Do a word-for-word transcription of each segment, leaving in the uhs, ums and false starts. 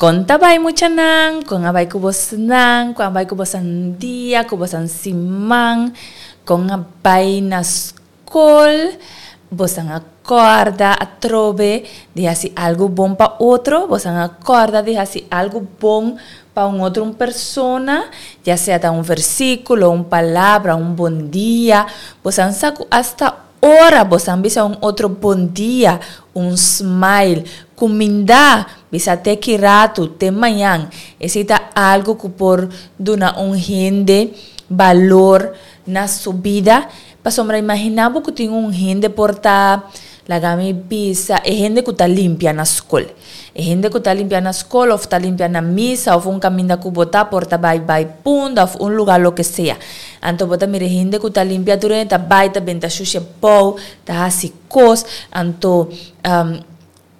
Kon ta bai muchanan, kon a bai ku bosnan, kon a bai ku bosan dia, ku bosan siman, kon a bai na skol, bosan a kòrda atrobe di hasi algu bon pa otro, bosan a kòrda di hasi algu bon pa un otro un persona, ya sea ta un versíkulo, un palabra, un bon dia, bosan sa ku asta ora bosan bisa un otro bon dia, un smile, kumindá, bisa te ki ratu, te mañan. Esei ta algu ku por duna un hende balor na su bida. Pasobra imaginá bo ku tin un hende por ta, laga mi bisa, e hende ku ta limpia na skol. E hende ku ta limpia na skol òf ta limpia na misa òf un kaminda ku bo ta por ta bai bai Punda òf un lugá loke sea. Anto bo ta mira e hende ku ta limpia tur hende ta bai ta benta shushe bou, ta hasi kos, anto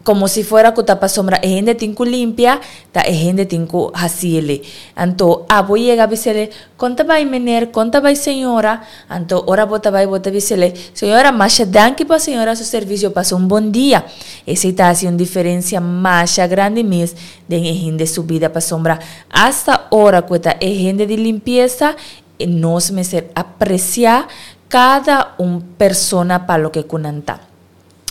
komo si fuera ku ta pasobra e hende tin ku limpia, ta e hende tin ku hasiele. Anto abo yega bisele, Kon ta bai mener, kon ta bai señora? Anto ora bo ta bai bo ta bisele, Señora masha danki pa señora su servisio, pasa un bon dia. Esei ta hasi un diferensia masha grandi mes den e hende su bida pasobra asta ora ku e ta e hende di limpiesa, nos mester apresiá kada un persona pa loke ku nan ta.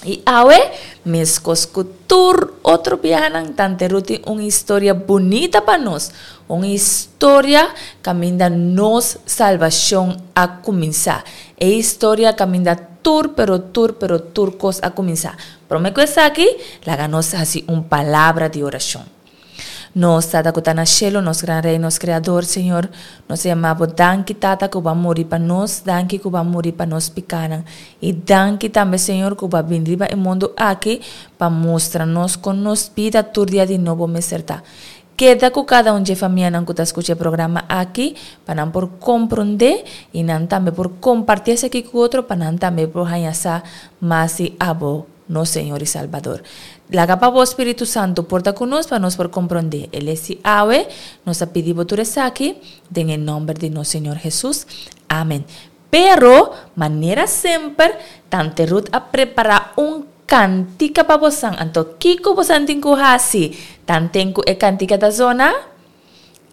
I awe, meskos ku tur otro biahanan, Tante Ruth tin un historia bunita pa nos, un historia kaminda nos salbashon a kuminsá, e historia kaminda tur pero tur pero tur kos a kuminsá. Promé ku esaki, laga nos hasi un palabra di orashon. Nos Tata ku ta na shelu, nos Gran Rei, nos Kreador, Señor, nos ta yama Bo danki, Tata, ku Bo a muri pa nos, danki ku Bo a muri pa nos pikanan. I danki tambe, Señor, ku Bo a bini riba e mundu aki pa mustra nos kon nos bida tur dia di nobo mester ta. Keda ku kada un dje famianan ku ta skucha e programa aki pa nan por komprondé i nan tambe por kompartí esaki ku otro pa nan tambe por haña sa mas di Abo. Nos Señor i Salbador. Laga pa bo Spiritu Santu por ta ku nos pa nos por komprondé e les di awe. Nos ta pidi bo tur esaki den e nòmber di nos Señor Hesus. Amen. Pero, manera semper, Tante Ruth a prepará un kantika pa bosan. Anto kiko bosan tin ku hasi tanten ku e kantika ta zona?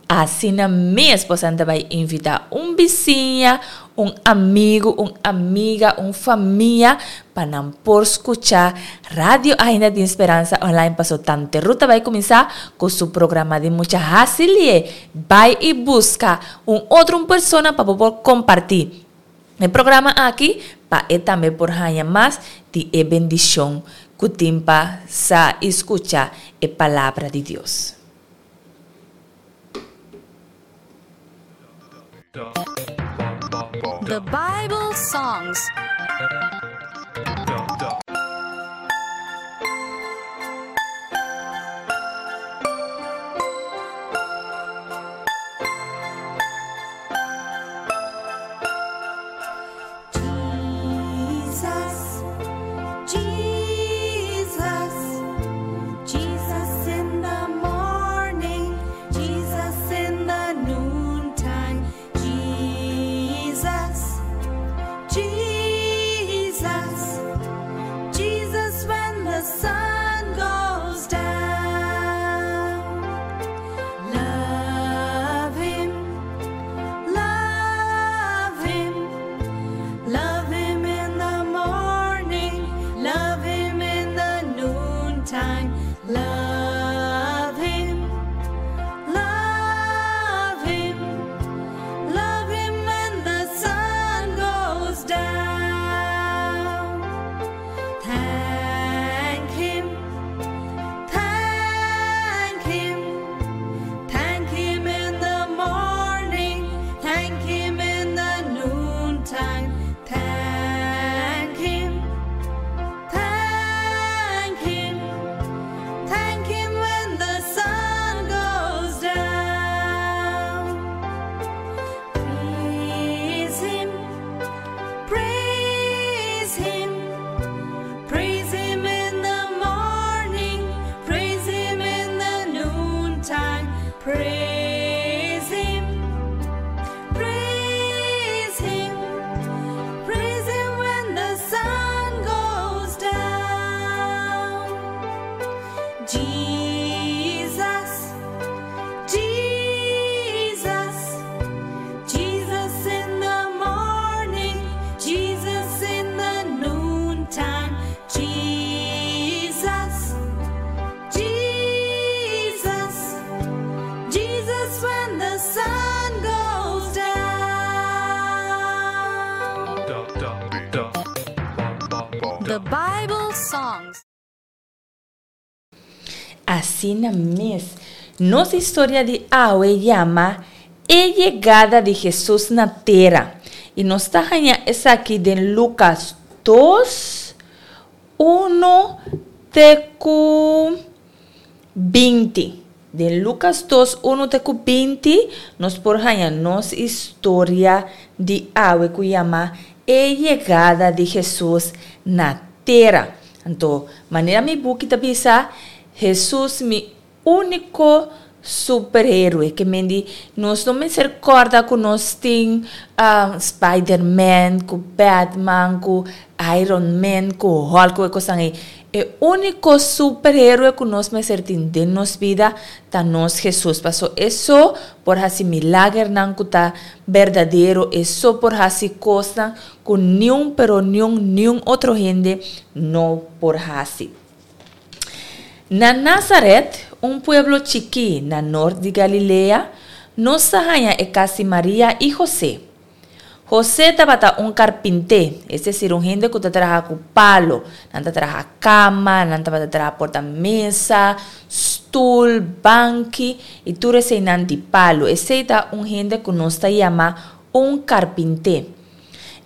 Asina mes bosan ta bai invitá un bisiña, un amigu, un amiga, un famia pa nan por skuchá Radio Ainda Tin Speransa Online paso Tante Ruth ta bai kuminsá ku su programa di mucha. Hasi lié, bai i buska un otro un persona pa bo por kompartí e programa aki pa e tambe por haña mas di e bendishon ku tin pa sa i skucha e Palabra di Dios. The Bible Songs. Jesus, Jesus, Jesus in the morning, Jesus in the noontime, Jesus, Jesus, Jesus when the sun goes down. Love him, love him, love him in the morning, love him in the noontime, love him, love him, love him when the sun goes down. Thank him, thank him, thank him in the morning, thank him in the noontime, thank him, thank him, thank him when the sun goes down. Praise him, praise him, praise him in the morning, praise him in the noontime, praise him, praise him, praise him when the sun goes down. Jesus, The Bible Songs. Asina mes, nos historia di awe yama E Yegada di Hesus na Tera. I nos ta haña esaki den Lukas dos, uno te ku binti. Den Lukas dos, uno te ku binti nos por haña nos historia di awe ku yama E Yegada di Hesus na Tera. Anto, manera mi buki ta bisa, Hesus mi úniko superhéroe. Ke men di, nos no mester kòrda ku nos tin Spiderman, ku Batman, ku Iron Man, ku Hulk, ku e kosnan ei. E úniko superhéroe ku nos mester tin den nos bida ta nos Hesus. Paso e so por hasi milagernan ku ta berdadero, e so por hasi kosnan ku niun pero niun niun otro hende no por hasi. Na Nazaret, un pueblo chikí na nort di Galilea, nos ta haña e kas di Maria i José. José tabata un karpinté, es desir un hende ku ta traha ku palo. Nan ta traha kama, nan tabata traha porta mesa, stul, banki i tur eseinan di palo. Esei ta un hende ku nos ta yama un karpinté.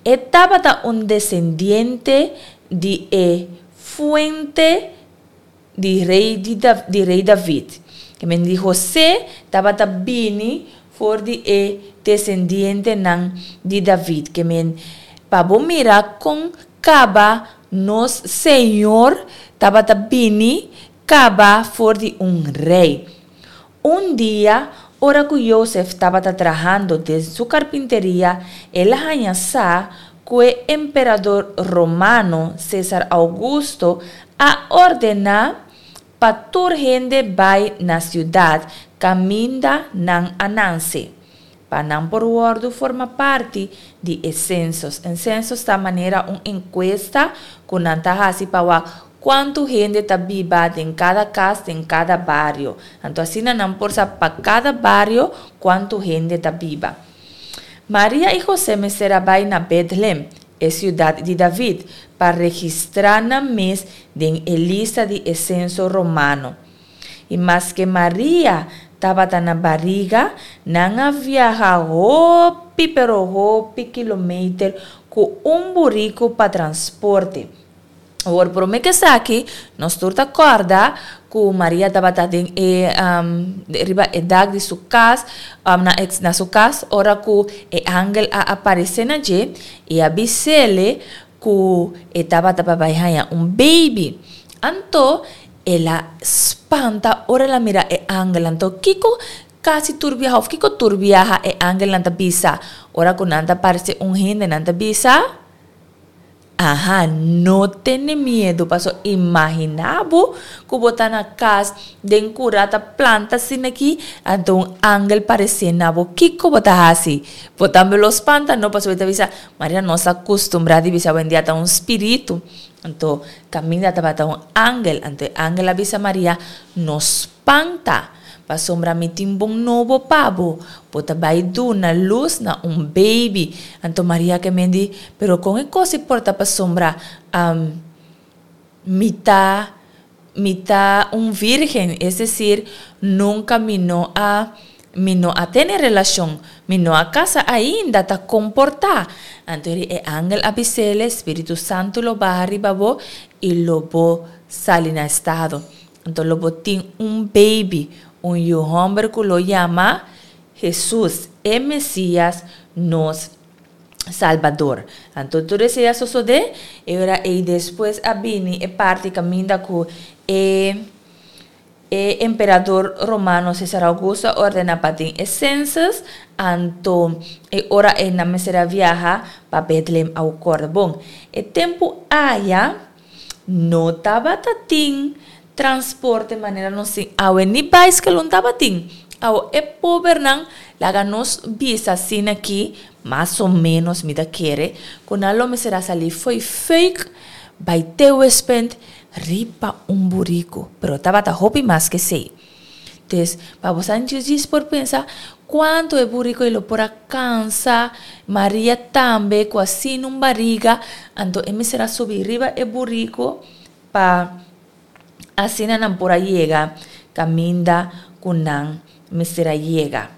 E tabata un desendiente di e fuente di rei di rei David. Ke men di José tabata bini for di e desendientenan di David. Ke men, pa bo mira kon kaba nos Señor tabata bini kaba for di un rei. Un dia, ora ku Josef tabata trahando den su karpinteria, el a haña sa ku e emperador romano Cesar Augusto a ordená pa tur hende bai na siudat kaminda nan a nanse, pa nan por wòrdu forma parti di e sensos. En sensos ta manera un enkuesta ku nan ta hasi pa wak kuantu hende ta biba den kada kas, den kada bario. Anto asina nan por sa pa kada bario kuantu hende ta biba. Maria i José mester a bai na Betlem, e siudat di David, pa registrá nan mes den e lista di e senso romano. I maske Maria tabata na bariga, nan a viaha hopi pero hopi kilometer ku un buriku pa transporte. Awor, promé ku esaki, nos tur ta kòrda ku Maria tabata den e riba e dak di su kas, na e na su kas, ora ku e angel a aparesé na dje i a bis'é ku e tabata pa bai haña un beibi. Anto el a spanta ora el a mira e angel. Anto kiko kasi tur biaha òf kiko tur biaha e angelnan ta bisa ora ku nan ta parse un hende? Nan ta bisa, Aha, no tene miedu, paso imaginá bo ku bo ta na kas den kura ta planta asina aki, anto un angel paresé na bo. Kiko bo ta hasi? Bo tambe lo spanta, no? Pasobra bo ta bisa, Maria nos a kustumbrá di bisa awendia ta un spiritu. Anto kaminda tabata un angel. Anto e angel a bisa Maria, No spanta, pasobra mi tin bon nobo pa bo, bo ta bai duna lus na un beibi. Anto Maria ke men di, Pero kon e kos i por ta pasobra mi ta mi ta un virgen, es desir, nunka mi no a mi no a tene relashon, mi no a kasa ainda, ta kon por ta? Anto e angel a bis'el, Spiritu Santu lo baha riba bo i lo bo sali na estado. Anto lo bo tin un baby, un yu hòmber ku lo yama Hesus, e Mesias, nos Salbador. Anto tur esei a sosodé, e ora ei despues a bini e parti kaminda ku e e emperador romano Cesar Augusto a ordená pa tin e census, anto e ora ei nan mester a viaha pa Bethlehem au kòrda. Bon, e tempu aya No tabata tin transporte manera nos tin awe, ni baiskel un tabatin. Awo e pobernan, laga nos bisa asina aki, mas o menos mi ta kere, ku nan lo mester a sali fo'i Fuik bai Tehuespent riba un buriku. Pero tabata hopi mas k'esei. Des, pa bo djis por pensa kuantu e buriku ei lo por a kansa, Maria tambe ku asina un bariga, anto e mester a subi riba e buriku pa asina nan por a yega kaminda ku nan mester a yega.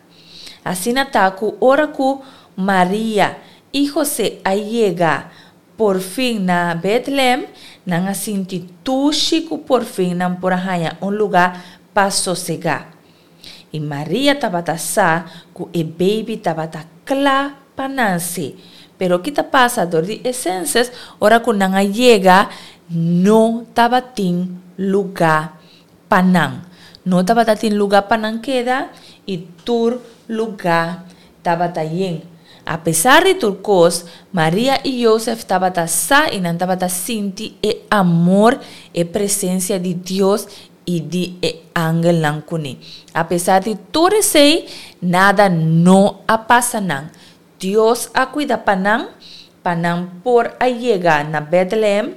Asina ta ku ora ku Maria i José a yega por fin na Bethlehem, nan a sinti dushi ku por fin nan por a haña un lugá pa sosegá. I Maria tabata sa ku e baby tabata kla pa nase. Pero ki ta pasa dor di e census, ora ku nan a yega, no tabatin lugá pa nan. No tabatin lugá pa nan keda i tur lugá tabata yen. Apesar di tur kos, Maria i Josef tabata sa i nan tabata sinti e amor, e presensia di Dios i di e angelnan kuné. Apesar di tur esei, nada no a pasa nan. Dios a kuida pa nan, pa nan por a yega na Bethlehem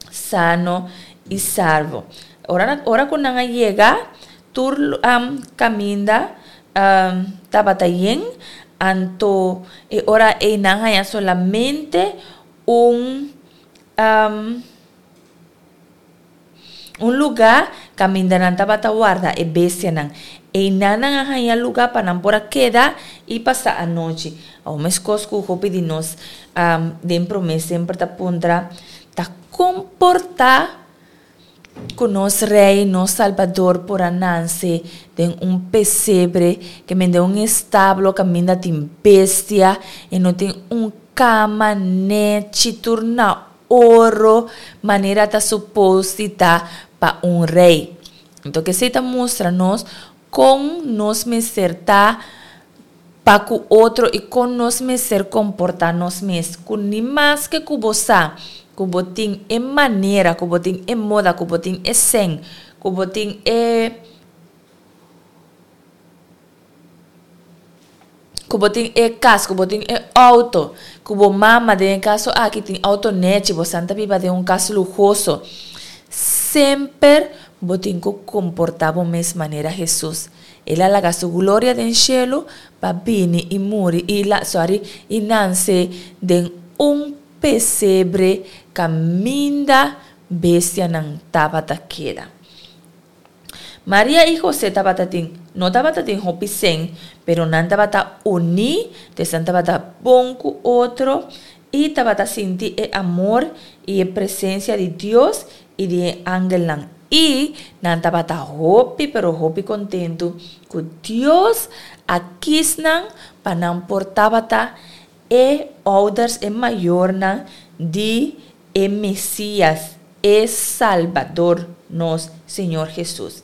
sano i salvo. Ora, ora ku nan a yega, tur um, kaminda um, tabata yen, anto e ora ei nan haña solamente un um, un lugá kaminda nan tabata warda e bestianan. Einan nan a haña lugá pa nan por a keda i pasa anochi. Awor meskos ku hopi di nos um, den promé semper ta puntra ta kon por ta ku nos Rei, nos Salbador por a nase den un pesebre, ke men den un establo kaminda tin bestia i no tin un kama nechi tur na oro manera ta supos di ta pa un rei. Anto esei ta mustra nos kon nos mester ta pa ku otro i kon nos mester komportá nos mes. Ku ni maske ku bo sa ku bo tin e manera, ku bo tin e moda, ku bo tin e sèn, ku bo tin e ku bo tin e kas, ku bo tin e outo, ku bo mama den e kaso aki tin outo nechi, bo san ta biba den un kas luhoso. Semper bo tin ku komportá bo mes manera Hesus. El a laga su gloria den shelu pa bini i muri i la sorry i nanse den un pesebre kaminda bestianan tabata keda. Maria i José tabata tin no tabata tin hopi sèn, pero nan tabata uní, dus nan tabata bon ku otro i tabata sinti e amor i e presensia di Dios i di e angelnan. I nan tabata hopi pero hopi kontentu ku Dios a kis nan pa nan por tabata e ouders, e mayornan di e Mesias, e Salbador, nos Señor Hesus.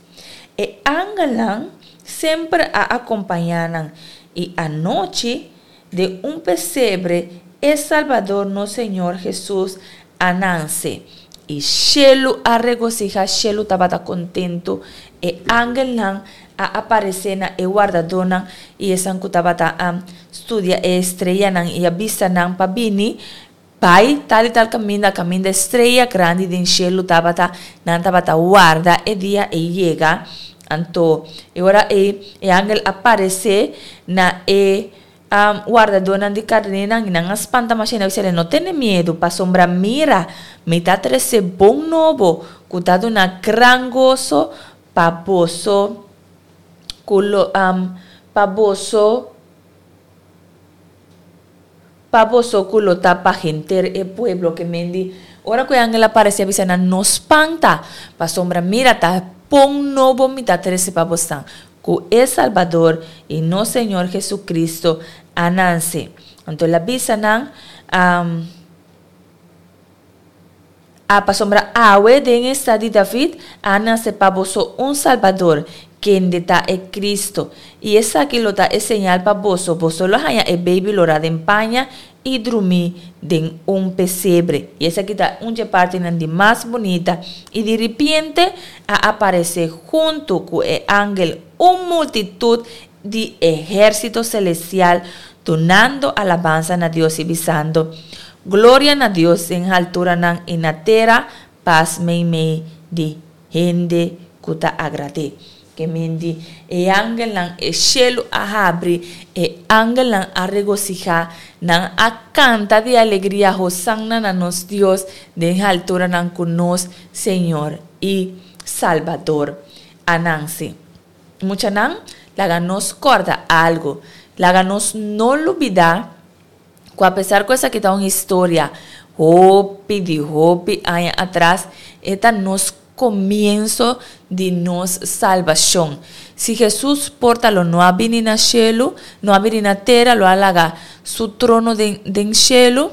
E angelnan semper a akompañá nan, i anochi, den un pesebre, e Salbador, nos Señor Hesus, a nanse. I shelu a regosihá, shelu tabata kontentu. E angelnan a aparesé na e wardadónan i esnan ku tabata a studia e estreanan i a bisa nan pa bini bai tal i tal kaminda, kaminda e strea grandi den shelu tabata, nan tabata warda e dia ei yega. Anto e ora ei e angel a paresé na e wardadónan di karnénan i nan a spanta masha i nan a bisa, No tene miedu, pasobra mira, mi ta trese bon nobo ku ta duna gran goso pa boso ku lo pa boso pa boso ku lo ta pa henter e pueblo. Ke men di, ora ku e angel a parese a bisa nan, No spanta, pasobra mira, ta bon nobo mi ta trese pa bosan, ku e Salbador i nos Señor Jesucristo a nanse. Anto el a bisa nan, A Pasobra awe den e stad di David a nase pa boso un Salbador, kende ta e Cristo. I esaki lo ta e señal pa boso, boso lo haña e baby lorá den paña i drumí den un pesebre. I esaki ta un dje partinan di mas bunita. I di ripiente a aparesé huntu ku e angel un multitut di ehérsito selestial dunando alabansa na Dios i bisando, Gloria na Dios den halturanan i na tera pas meimei di hende ku ta agrad'é. Ke men di e angelnan, e shelu a habri, e angelnan a regosihá, nan a kanta di alegria, Hosanna na nos Dios den alturanan ku nos Señor i Salbador a nanse. Muchanan, laga nos kòrda algu, laga nos no lubidá ku apesar ku esaki ta un historia hopi di hopi aña atras, e ta nos komienso di nos salbashon. Si Hesus por ta lo no a bini na shelu, no a bini na tera, lo a laga su trono den den shelu,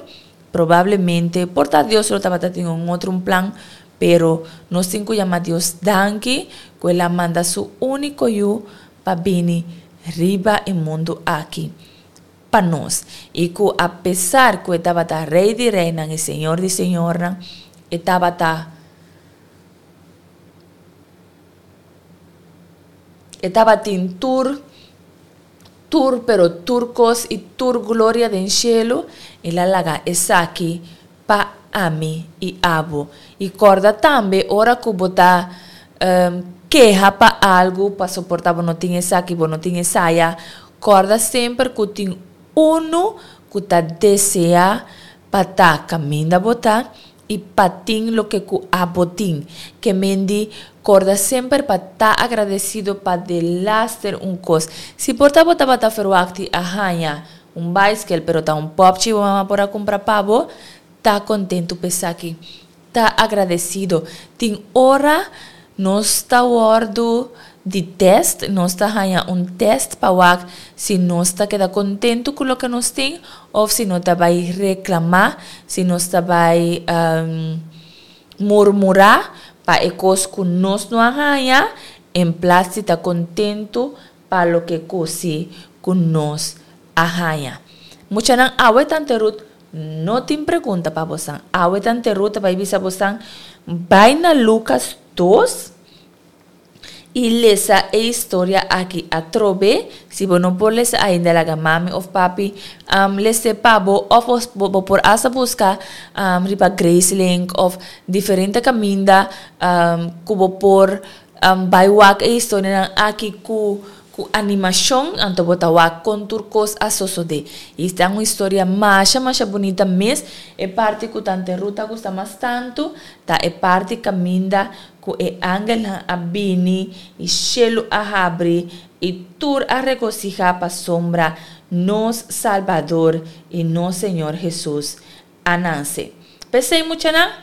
probablemente por ta Dios lo tabata tin un otro un plan, pero nos tin ku yama Dios danki ku el a manda su úniko Yu pa bini riba e mundu aki pa nos, i ku apesar ku e tabata Rei di reinan i Señor di señornan, e tabata e tabatin tur tur pero tur kos i tur gloria den shelu, el a laga esaki pa ami i abo. I kòrda tambe ora ku bo ta keha pa algu, paso por ta bo no tin esaki, bo no tin esaya, kòrda semper ku tin unu ku ta deseá pa ta kaminda bo ta i pa tin loke ku abo tin. Ke men di, kòrda semper pa ta agradesido pa delaster un kos. Si por ta bo tabata ferwakti a haña un baiskel pero ta un pòpchi bo mama por a kumpra pa bo, ta kontentu p'esaki. Ta agradesido. Tin ora nos ta wòrdu di tèst, nos ta haña un tèst pa wak si nos ta keda kontentu ku loke nos tin òf si no ta bai reklamá, si nos ta bai murmurá pa e kos ku nos no a haña en plas di ta kontentu pa loke ku si ku nos a haña. Muchanan, awe Tante Ruth no tin pregunta pa bosan. Awe Tante Ruth ta bai bisa bosan bai na Lukas dos i lesa e historia aki atrobe. Si bo no por lesa ainda, laga mami of papi um, lese pa bo, of bo, bo por hasta buska um, riba Gracelink of diferente kaminda um, ku bo por um, bai wak e historianan aki ku ku animashon, anto bo ta wak kon tur kos a sosodé. I ta un historia masha masha bunita mes. E parti ku Tante Ruth a gusta mas tantu ta e parti kaminda ku e angelnan a bini i shelu a habri i tur a regosihá pasobra nos Salbador i nos Señor Hesus a nanse. P'esei muchanan,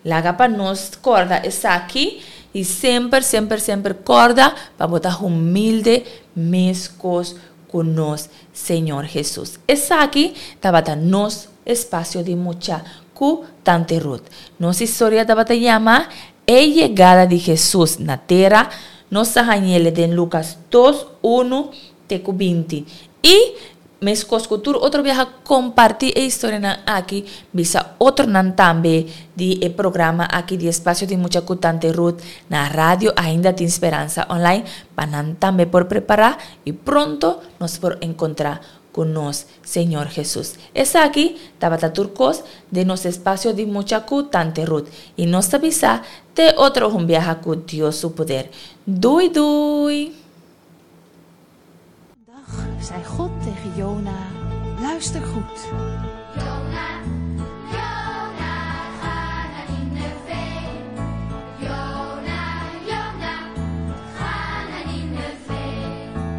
laga pa nos kòrda esaki i semper, semper, semper kòrda pa bo ta humilde meskos ku nos Señor Hesus. Esaki tabata nos espasio di mucha ku Tante Ruth. Nos historia tabata yama E Yegada di Hesus na Tera. Nos ta hañ'el den Lukas dos, unu te ku binti. I meskos ku tur otro biaha kompartí e historianan aki, bisa otronan tambe di e programa aki di Espacio di Mucha ku Tante Ruth na Radio Ainda Tin Speransa Online pa nan tambe por prepará i pronto nos por enkontrá ku nos Señor Hesus. Esaki tabata tur kos den nos Espacio di Mucha ku Tante Ruth i nos ta bisa te otro un biaha ku Dios su poder. Dui dui! Dag zei God tegen Jona, luister goed. Jona, Jona, ga naar Nineve. Jona, Jona, ga naar Nineve.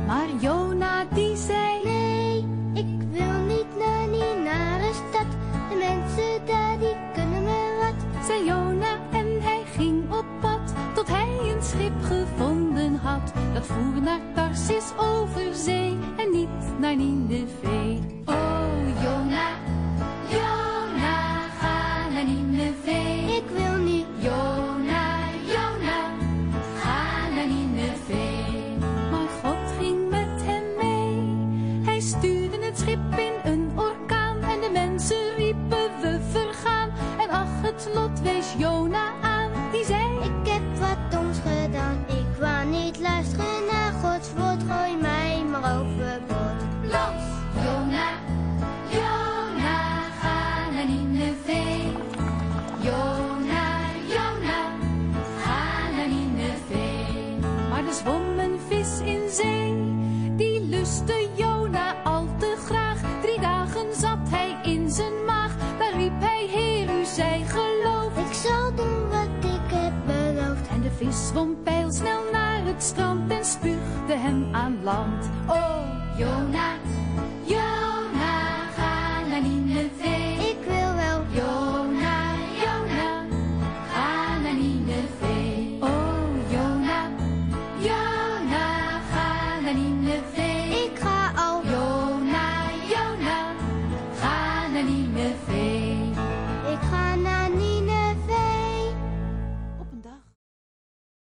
Maar Jona die zei, Nee, ik wil niet naar die nare stad. De mensen daar die kunnen me wat. Zei Jona en hij ging op pad, tot hij een schip gevonden had. Dat voer naar Tarsis over zee en niet naar Nineve. Oh Jona, Jona, ga naar Nineve. Ik wil niet. Jona, Jona, ga naar Nineve. Maar God ging met hem mee. Hij stuurde het schip in een orkaan en de mensen riepen we vergaan. En ach, het lot wees Jona aan, die zei, Ik heb wat doms gedaan. Ik wou niet luisteren naar Gods woord. Gooi mij maar overboord. Los! Jona, Jona, ga naar Nineve. Jona, Jona, ga naar Nineve. Maar er zwom een lustte Jona al te graag. Drie dagen zat hij in zijn maag. Daar riep hij, Heer, u zij geloofd. Ik zal doen wat ik heb beloofd. En de vis zwom pijlsnel naar het strand en spuugde hem aan land. Oh, Jona,